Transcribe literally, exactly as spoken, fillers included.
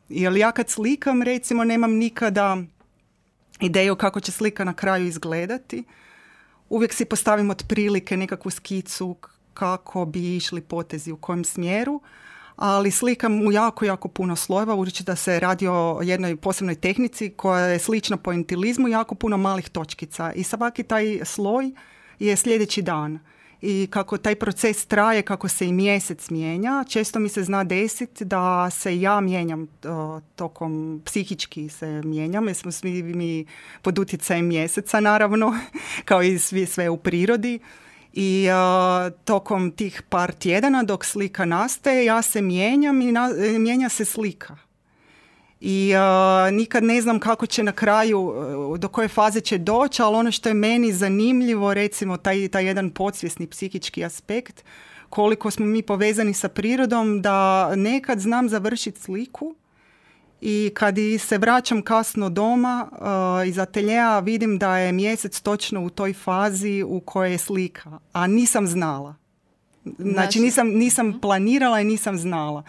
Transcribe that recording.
Jer ja kad slikam, recimo, nemam nikada ideju kako će slika na kraju izgledati. Uvijek si postavim otprilike nekakvu skicu kako bi išli potezi u kojem smjeru, ali slikam u jako, jako puno slojeva, budući da se radi o jednoj posebnoj tehnici koja je slična pointilizmu, jako puno malih točkica. I svaki taj sloj je sljedeći dan. I kako taj proces traje, kako se i mjesec mijenja, često mi se zna desiti da se ja mijenjam tokom, psihički se mijenjam, jer smo svi mi pod utjecajem mjeseca, naravno, kao i svi, sve u prirodi. I uh, tokom tih par tjedana dok slika nastaje, ja se mijenjam i na, mijenja se slika. I uh, nikad ne znam kako će na kraju, uh, do koje faze će doći, ali ono što je meni zanimljivo, recimo taj, taj jedan podsvjesni psihički aspekt, koliko smo mi povezani sa prirodom, da nekad znam završiti sliku i kad se vraćam kasno doma uh, iz ateljeja, vidim da je mjesec točno u toj fazi u kojoj je slika, a nisam znala. Znači nisam, nisam planirala i nisam znala.